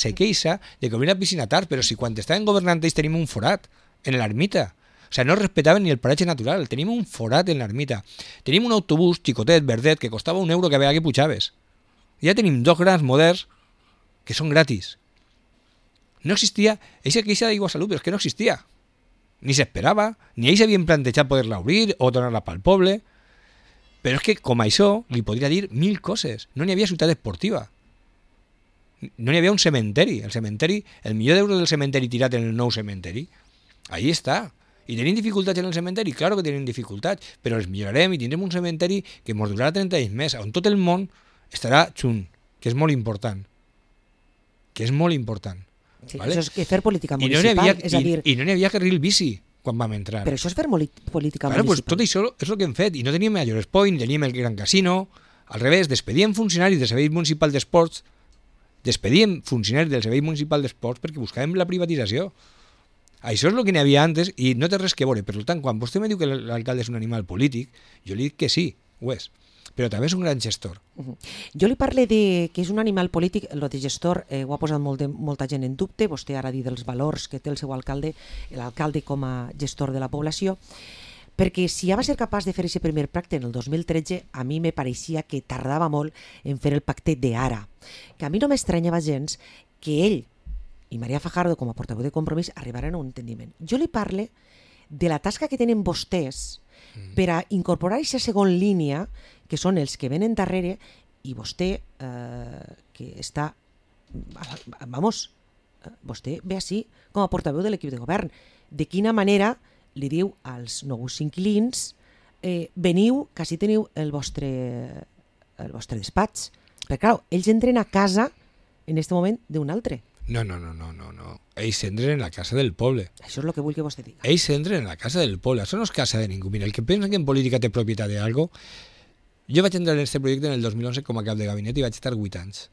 de que una piscina tard, però si quan estaven governant ells tenim un forat en l'ermita. O sigui, no respectaven ni el paratge natural. Tenim un forat en l'ermita. Tenim un autobús xicotet, verdet, que costava €1 que veia que pujaves. Ja tenim dos grans moderns que són gratis. No existia... Eixa queixa d'Aigua Salut, però és que no existia. Ni s'esperava, ni ells havien plantejat poder-la obrir o donar-la pel poble. Però és que, com això, li podria dir 1000 coses. No n'hi havia ciutat esportiva. No n'hi havia un cementeri. El cementeri, el milió d'euros del cementeri tirat en el nou cementeri, ahí està. I tenim dificultats en el cementeri? Claro que tenim dificultats, però els millorarem i tindrem un cementeri que ens durarà 30 anys més, on tot el món estarà junt, que és molt important. Sí, vale? Això és que fer política municipal, és a dir... I no n'hi havia carril bici quan vam entrar. Però això és fer política municipal. Pues tot això és el que hem fet, i no teníem el Llores Point, teníem el Gran Casino, al revés, despedíem funcionaris del Servei Municipal d'Esports, perquè buscàvem la privatització. Això és el que n'hi havia antes i no té res que veure. Per tant, quan vostè me diu que l'alcalde és un animal polític, jo li dic que sí, ho és. Però també és un gran gestor. Jo li parle de que és un animal polític, el de gestor ho ha posat molta gent en dubte, vostè ara ha dit dels valors que té el seu alcalde, l'alcalde com a gestor de la població, perquè si ja va ser capaç de fer aquest primer pacte en el 2013, a mi me pareixia que tardava molt en fer el pacte d'ara. Que a mi no m'estranyava gens que ell i Maria Fajardo, com a portaveu de Compromís, arribaren a un entendiment. Jo li parle de la tasca que tenen vostès per a incorporar aquesta segona línia, que són els que venen darrere, i vostè, que està... Vamos, vostè ve així com a portaveu de l'equip de govern. De quina manera li diu als nous inquilins veniu, que així teniu el vostre despatx. Perquè, clar, ells entren a casa en aquest moment d'un altre. No. Ells entren en la casa del poble. Això és el que vull que vostè diga. Ells entren en la casa del poble. Això no és casa de ningú. Mira, el que pensa que en política té propietat de algo... Jo vaig entrar en aquest projecte en el 2011 com a cap de gabinet i vaig estar 8 anys.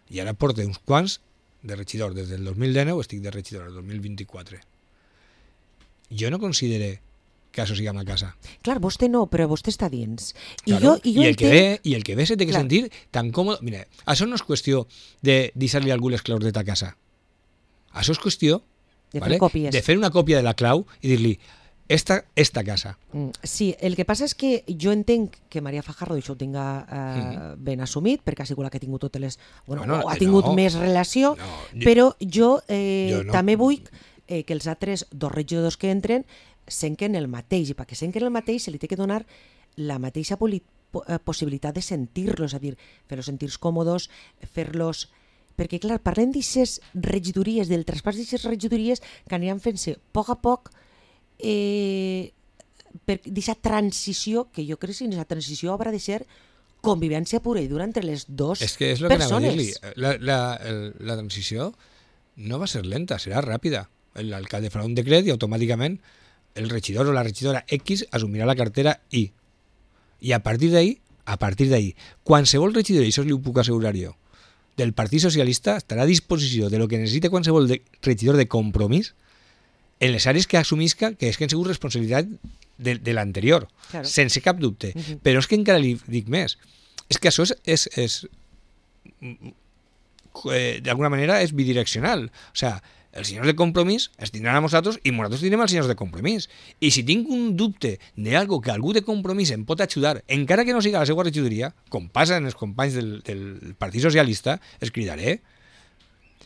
I ara porto uns quants de regidor. Des del 2019 estic de regidor, el 2024. Jo no considere que això sigui una casa. Clar, vostè no, però vostè està dins. Claro, I el que ve se té que sentir tan còmode. Mira, això no és qüestió de deixar-li a algú les claus de ta casa. Això és qüestió de fer una còpia de la clau i dir-li esta casa. Sí, el que passa és que jo entenc que Maria Fajardo això ho tinga ben assumit, perquè ha sigut la que ha tingut totes les... Bueno, ha tingut més relació, però jo també vull que els altres dos regidors que entren senquen el mateix, i perquè senquen el mateix se li té que donar la mateixa possibilitat de sentir-los, és a dir, fer-los sentir còmodes, fer-los... Perquè, clar, parlem d'aixes regidories, del traspàs d'aixes regidories que aniran fent-se a poc per aquesta transició, que jo crec que aquesta transició haurà de ser convivència pura i dura entre les dues persones. És que és el que anava a dir-li. La transició no va ser lenta, serà ràpida. L'alcalde farà un decret i automàticament el regidor o la regidora X assumirà la cartera I. I a partir d'ahí, qualsevol regidor, i això li ho puc assegurar jo, del Partit Socialista estarà a disposició de lo que necessita qualsevol regidor de compromís en les àrees que assumisca que és que han sigut responsabilitat de l'anterior, claro, sense cap dubte. Però és que encara li dic més. És que això és d'alguna manera és bidireccional. O sigui, els senyors de compromís es tindran a nosaltres i nosaltres tindrem els senyors de compromís. I si tinc un dubte d'algo que algú de compromís em pot ajudar, encara que no siga la seva regidoria, com passa en els companys del Partit Socialista, els cridaré.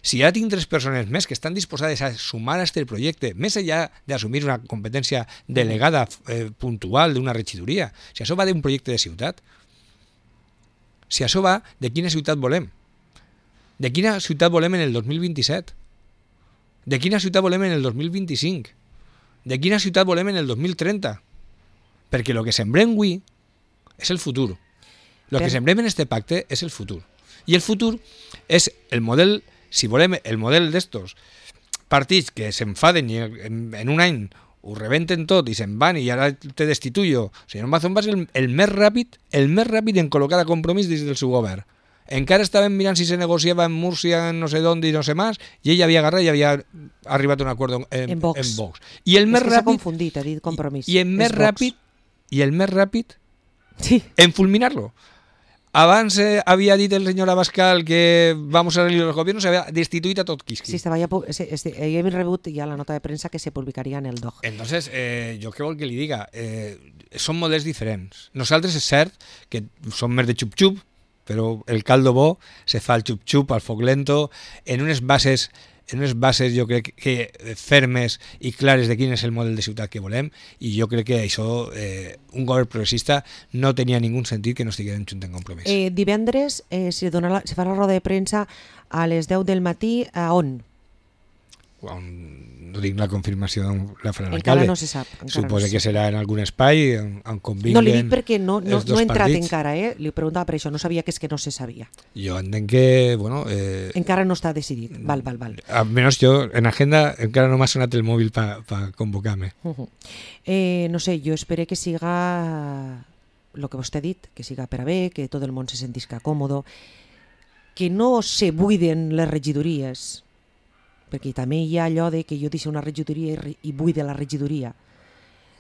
Si ja tinc 3 persones més que estan disposades a sumar a aquest projecte, més enllà d'assumir una competència delegada puntual d'una regidoria, si això va d'un projecte de ciutat, si això va de quina ciutat volem, de quina ciutat volem en el 2027, de quina ciutat volem en el 2025, de quina ciutat volem en el 2030, perquè el que sembrem avui és el futur. El que sembrem en este pacte és el futur. I el futur és el model, si volem, el model d'estos partits que s'enfaden i en un any ho rebenten tot i se'n van i ara te destituyo. O sigui, Mazón va ser el més ràpid en col·locar a Compromís des del seu govern. Encara estàvem mirant si se negociava en Múrcia, no sé d'on i no sé més, i ell havia agarrat i havia arribat a un acord en Vox. I el més ràpid... s'ha confundit, ha dit Compromís. I el més ràpid en fulminar-lo. Abans havia dit el senyor Abascal que vamos a salir los gobiernos, se había destituït a tot Quisqui. Sí, hem rebut ja la nota de premsa que se publicaria en el DOG. Entonces, jo què vol que li diga? Són models diferents. Nosaltres és cert que som més de xup-xup, però el caldo bo se fa el xup-xup, al foc lento, en unes bases jo crec que fermes i clares de quin és el model de ciutat que volem, i jo crec que això, un govern progressista no tenia ningú sentit que no estiguem junts en Compromís. Divendres se fa la roda de premsa a les 10 del matí, a on? No tinc la confirmació de la farà l'alcalde. Encara no se sap. Suposa que serà en algun espai on convinguen. No li dic perquè no he entrat encara, li preguntava per això, no sabia que és que no se sabia. Jo entenc que, bueno... encara no està decidit, val. Almenys jo, en agenda, encara no m'ha sonat el mòbil per convocar-me. No sé, jo espero que siga el que vostè ha dit, que siga per a bé, que tot el món se sentisca còmodo, que no se buiden les regidories, perquè també hi ha allò de que jo deixo una regidoria i buide la regidoria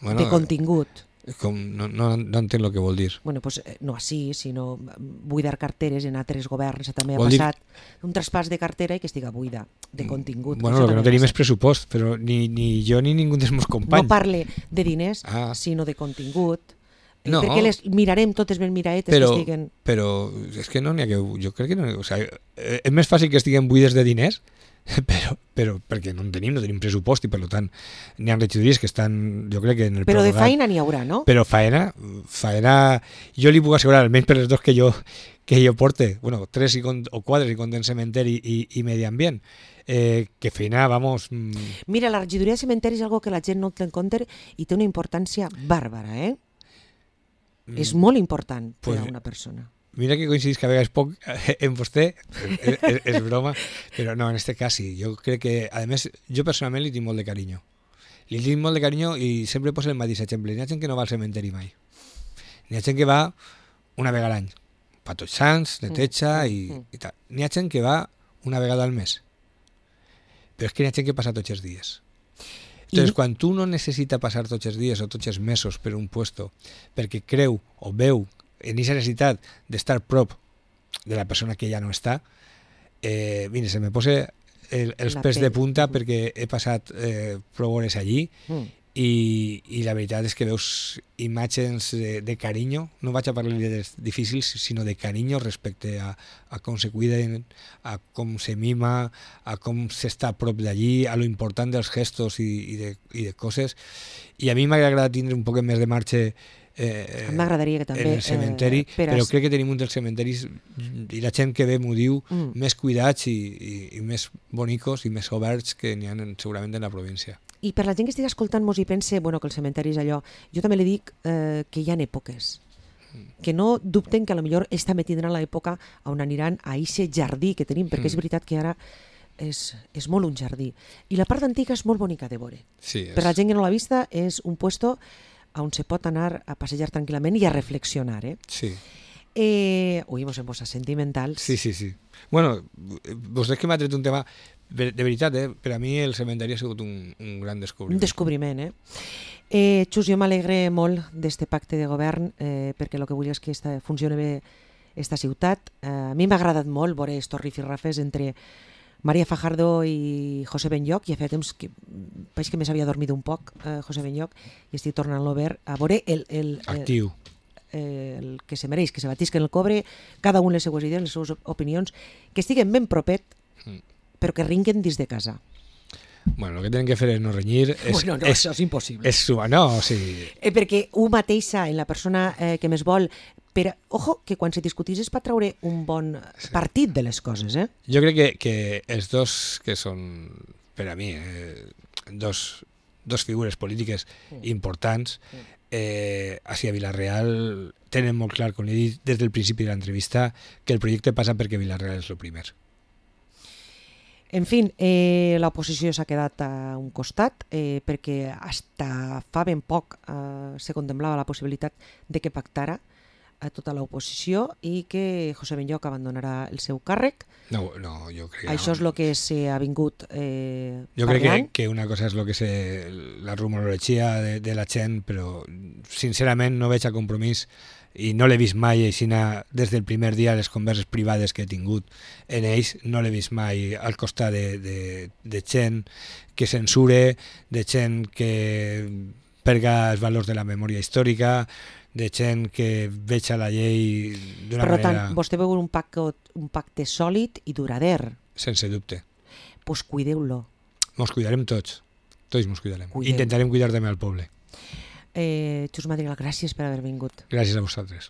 de contingut. No entenc el que vol dir. Bueno, pues, no així, sinó buidar carteres en altres governs. També ha passat un traspàs de cartera i que estiga buida de contingut. Bueno, el que no tenim és pressupost, però ni jo ni ningú dels meus companys. No parle de diners, sinó de contingut. No. Perquè les mirarem totes ben miraetes que estiguen... Però és que no n'hi ha que... Jo crec que no... O sigui, és més fàcil que estiguen buides de diners però perquè no en tenim pressupost i per tant n'hi ha regidories que estan, jo crec que en el Però de prorrogat, feina n'hi haurà, no? però faena jo li puc assegurar, almenys per les dos que jo porte, bueno, 3 o 4 si compten cementeri i medi ambient, que feina, vamos... Mira, la regidoria de cementeri és algo que la gent no té en compte i té una importància bàrbara, És molt important per a una persona. Mira que coincidís que a vegades poc en vostè, és broma, però no, en este cas sí. Jo crec que, a més, jo personalment li tinc molt de carinyo. Li tinc molt de carinyo i sempre poso el mateix exemple. N'hi ha gent que no va al cementeri mai. N'hi ha gent que va una vegada a l'any. Pa tots sants, neteja i tal. N'hi ha gent que va una vegada al mes. Però és que n'hi ha gent que passa tots els dies. Entonces, quan tu no necessita passar tots els dies o tots els mesos per un puesto perquè creu o veu en aquesta necessitat d'estar prop de la persona que ja no està, mira, se me posa els pèls de punta perquè he passat prou hores allí i la veritat és que veus imatges de carinyo, no vaig a parlar de difícils, sinó de carinyo respecte a com se cuiden, a com se mima, a com s'està a prop d'allí, a lo important dels gestos i de coses. I a mi m'agrada tindre un poc més de marxa m'agradaria que també en el cementeri, però crec que tenim un dels cementeris i la gent que ve m'ho diu més cuidats i més bonicos i més oberts que n'hi ha segurament en la província. I per la gent que estigui escoltant-nos i pense que el cementeri és allò, jo també li dic que hi ha èpoques, que no dubten que potser ells també tindran l'època on aniran a aquest jardí que tenim, perquè és veritat que ara és molt un jardí. I la part antiga és molt bonica de veure. Sí, per la gent que no l'ha vista és un puesto on se pot anar a passejar tranquil·lament i a reflexionar. Sí. Ui, mos hem posat sentimentals. Sí. Bueno, vostè que m'ha tret un tema, de veritat, per a mi el cementeri ha sigut un gran descobriment. Un descobriment, Xus, jo m'alegre molt d'este pacte de govern perquè el que vull és que funcioni bé esta ciutat. A mi m'ha agradat molt veure estos rifirrafes entre María Fajardo i José Benlloch, i ha fet temps que veig que més havia dormit un poc José Benlloch i estic tornant-lo a veure actiu. El que se mereix, que se batisquen el cobre, cada un les seues idees, les seues opinions, que estiguen ben propet, però que ringuen dins de casa. Bueno, el que tenen que fer és no renyir. Això és impossible. És sumar, no, o sigui... perquè un mateixa, en la persona que més vol, però, ojo, que quan se discutís és per treure un bon partit de les coses, Jo crec que els dos que són, per a mi, dos figures polítiques importants, així a Vila-real tenen molt clar, com he dit des del principi de l'entrevista, que el projecte passa perquè Vila-real és el primer. En fi, l'oposició s'ha quedat a un costat perquè hasta fa ben poc se contemplava la possibilitat de que pactara a tota l'oposició i que José Benlloch abandonarà el seu càrrec. No, jo crec que això és el que s'ha vingut jo crec que una cosa és lo que la rumorologia de la gent, però sincerament no veig a Compromís i no l'he vist mai aixina des del primer dia les converses privades que he tingut en ells, no l'he vist mai al costat de gent que censure, de gent que perga els valors de la memòria històrica, de gent que veja la llei d'una manera... Per tant, vostè veu un pacte sòlid i durader. Sense dubte. Pues cuideu-lo. Mos cuidarem tots. Tots mos cuidarem. Intentarem cuidar també al poble. Xus Madrigal, gràcies per haver vingut. Gràcies a vosaltres.